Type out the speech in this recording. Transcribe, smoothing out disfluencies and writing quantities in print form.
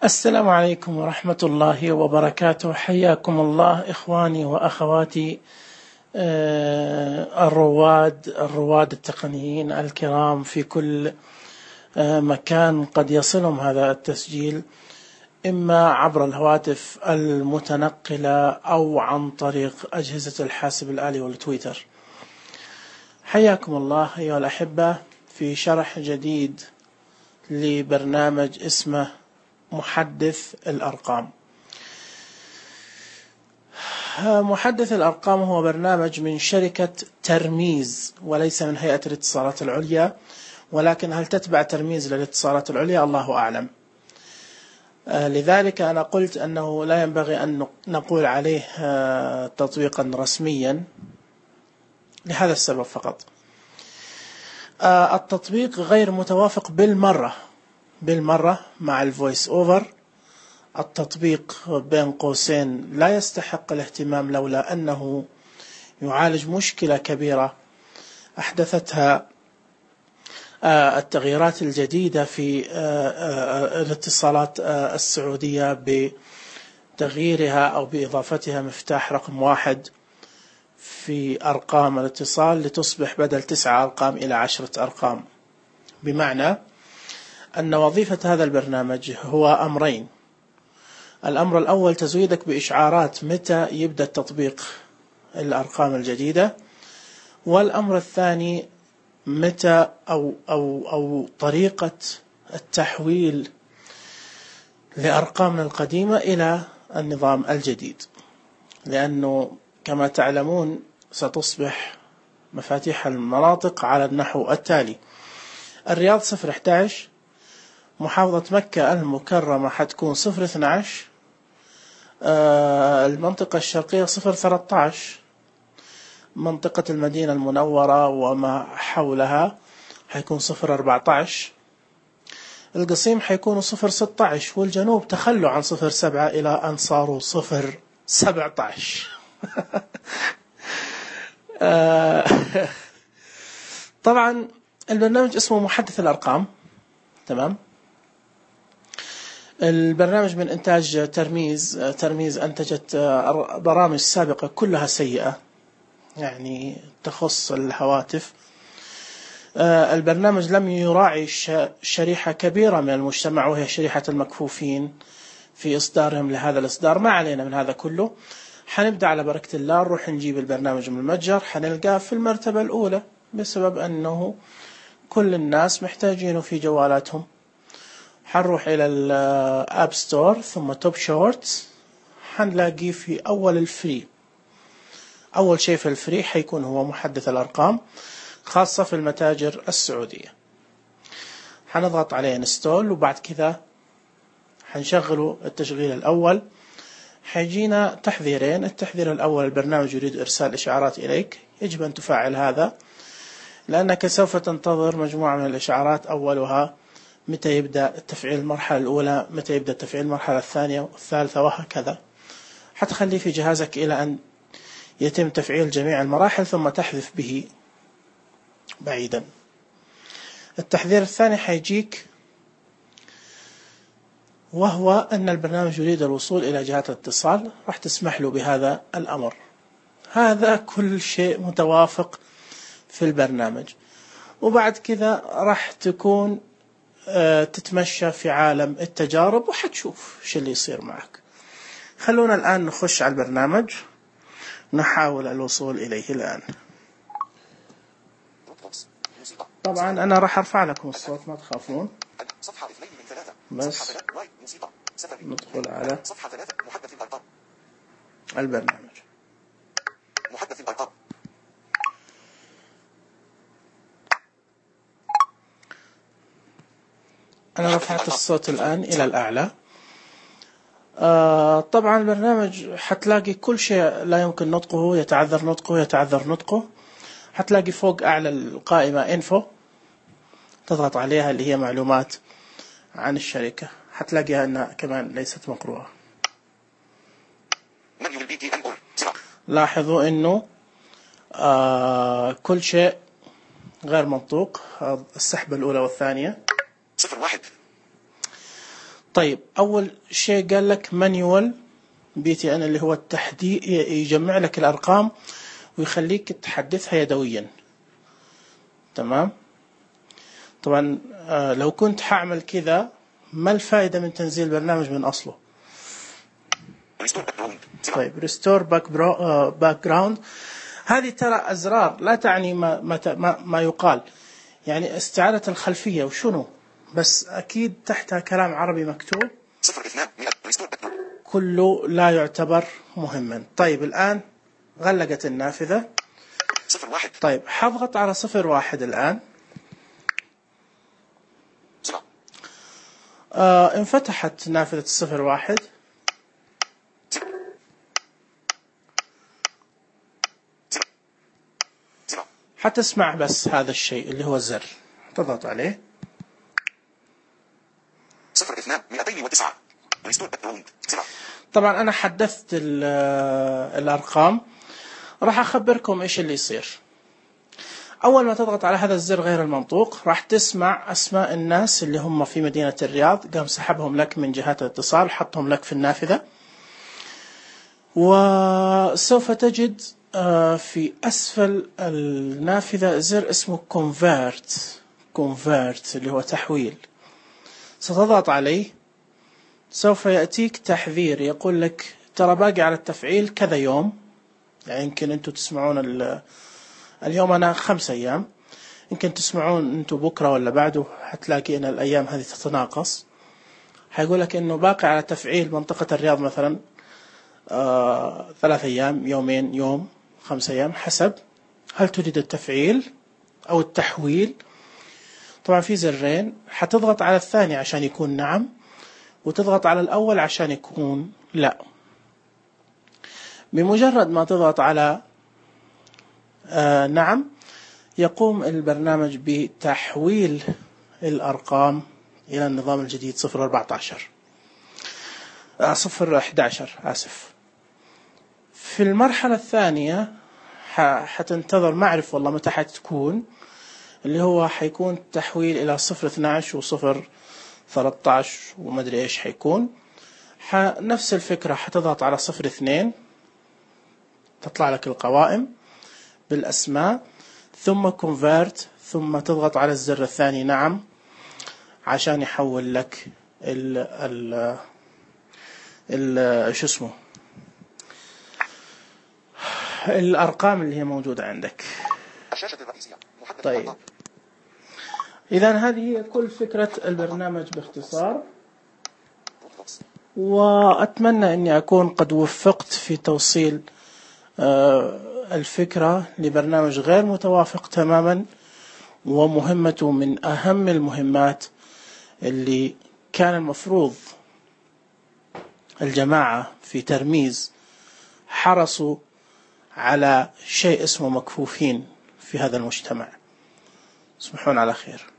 السلام عليكم ورحمة الله وبركاته. حياكم الله إخواني وأخواتي الرواد التقنيين الكرام في كل مكان قد يصلهم هذا التسجيل، إما عبر الهواتف المتنقلة أو عن طريق أجهزة الحاسب الآلي والتويتر. حياكم الله أيها الأحبة في شرح جديد لبرنامج اسمه محدث الأرقام. محدث الأرقام هو برنامج من شركة ترميز وليس من هيئة الاتصالات العليا، ولكن هل تتبع ترميز للاتصالات العليا الله أعلم. لذلك أنا قلت أنه لا ينبغي أن نقول عليه تطبيقا رسميا لهذا السبب فقط. التطبيق غير متوافق بالمرة مع الفويس أوفر. التطبيق بين قوسين لا يستحق الاهتمام، لولا أنه يعالج مشكلة كبيرة أحدثتها التغييرات الجديدة في الاتصالات السعودية بتغييرها أو بإضافتها مفتاح رقم 1 في أرقام الاتصال لتصبح بدل 9 أرقام إلى 10 أرقام. بمعنى أن وظيفة هذا البرنامج هو أمرين: الأمر الأول تزويدك بإشعارات متى يبدأ تطبيق الأرقام الجديدة، والأمر الثاني متى أو طريقة التحويل لأرقامنا القديمة إلى النظام الجديد، لأنه كما تعلمون ستصبح مفاتيح المناطق على النحو التالي: الرياض 011، محافظة مكة المكرمة حتكون 012، المنطقة الشرقية 013، منطقة المدينة المنورة وما حولها حيكون 014، القصيم حيكون 016، والجنوب تخلوا عن 07 إلى أن صاروا 017. طبعا البرنامج اسمه محدث الأرقام، تمام. البرنامج من إنتاج ترميز أنتجت برامج سابقة كلها سيئة، يعني تخص الهواتف. البرنامج لم يراعي شريحة كبيرة من المجتمع، وهي شريحة المكفوفين في إصدارهم لهذا الإصدار. ما علينا من هذا كله، حنبدأ على بركة الله نروح نجيب البرنامج من المتجر، حنلقاه في المرتبة الأولى بسبب أنه كل الناس محتاجينه في جوالاتهم. حنروح إلى الأب ستور ثم توب شورتس، حنلاقيه في أول الفري. أول شيء في الفري حيكون هو محدث الأرقام، خاصة في المتاجر السعودية. حنضغط عليه انستول، وبعد كذا حنشغله التشغيل الأول. حيجينا تحذيرين: التحذير الأول: البرنامج يريد إرسال إشعارات إليك، يجب أن تفعل هذا، لأنك سوف تنتظر مجموعة من الإشعارات، أولها متى يبدأ تفعيل المرحلة الأولى، متى يبدأ تفعيل المرحلة الثانية والثالثة، وهكذا. حتخليه في جهازك إلى أن يتم تفعيل جميع المراحل ثم تحذف به بعيدا. التحذير الثاني حيجيك، وهو أن البرنامج يريد الوصول إلى جهات الاتصال، راح تسمح له بهذا الأمر. هذا كل شيء متوافق في البرنامج. وبعد كذا راح تكون تتمشى في عالم التجارب وحتشوف شو اللي يصير معك. خلونا الآن نخش على البرنامج، نحاول الوصول إليه الآن. طبعا أنا راح أرفع لكم الصوت، ما تخافون. بس ندخل على البرنامج. محدث الأرقام. أنا رفعت الصوت الآن إلى الأعلى. طبعا البرنامج حتلاقي كل شيء لا يمكن نطقه، يتعذر نطقه. حتلاقي فوق أعلى القائمة إنفو، تضغط عليها اللي هي معلومات عن الشركة، حتلاقيها أنها كمان ليست مقروءة. لاحظوا أنه كل شيء غير منطوق. السحبة الأولى والثانية 01. طيب أول شيء قال لك مانيوال BTN اللي هو التحديد، يجمع لك الأرقام ويخليك تحدثها يدويا. تمام. طبعا لو كنت حاعمل كذا ما الفائدة من تنزيل البرنامج من أصله؟ طيب ريستور باك جراوند، هذه ترى أزرار لا تعني ما يقال، يعني استعادة الخلفية وشنو، بس أكيد تحتها كلام عربي مكتوب كله لا يعتبر مهما. طيب الآن غلقت النافذة. طيب حضغط على 01 الآن. انفتحت نافذة 01. حتسمع بس هذا الشيء اللي هو الزر، تضغط عليه. 0209 طبعا أنا حدثت الأرقام، راح أخبركم إيش اللي يصير. أول ما تضغط على هذا الزر غير المنطوق راح تسمع أسماء الناس اللي هم في مدينة الرياض، قام سحبهم لك من جهات الاتصال، حطهم لك في النافذة. وسوف تجد في أسفل النافذة زر اسمه convert اللي هو تحويل. ستضغط عليه، سوف يأتيك تحذير يقول لك ترى باقي على التفعيل كذا يوم، يعني يمكن أنتم تسمعون اليوم أنا 5 أيام، يمكن تسمعون أنتم بكرة ولا بعده هتلاقي أن الأيام هذه تتناقص. هيقول لك إنه باقي على تفعيل منطقة الرياض مثلا 3 أيام، يومين، يوم، 5 أيام، حسب هل تريد التفعيل أو التحويل. طبعا في زرين، حتضغط على الثاني عشان يكون نعم، وتضغط على الأول عشان يكون لا. بمجرد ما تضغط على نعم يقوم البرنامج بتحويل الأرقام إلى النظام الجديد 011 آسف. في المرحلة الثانية حتنتظر، ما أعرف والله متى حتكون، اللي هو حيكون تحويل إلى 012 و013 وما أدري إيش حيكون. نفس الفكرة، حتضغط على 02 تطلع لك القوائم بالأسماء، ثم convert، ثم تضغط على الزر الثاني نعم عشان يحول لك شو اسمه الأرقام اللي هي موجودة عندك. طيب إذن هذه هي كل فكرة البرنامج باختصار، وأتمنى أني أكون قد وفقت في توصيل الفكرة لبرنامج غير متوافق تماما، ومهمته من أهم المهمات اللي كان المفروض الجماعة في ترميز حرصوا على شيء اسمه مكفوفين في هذا المجتمع. تصبحون على خير.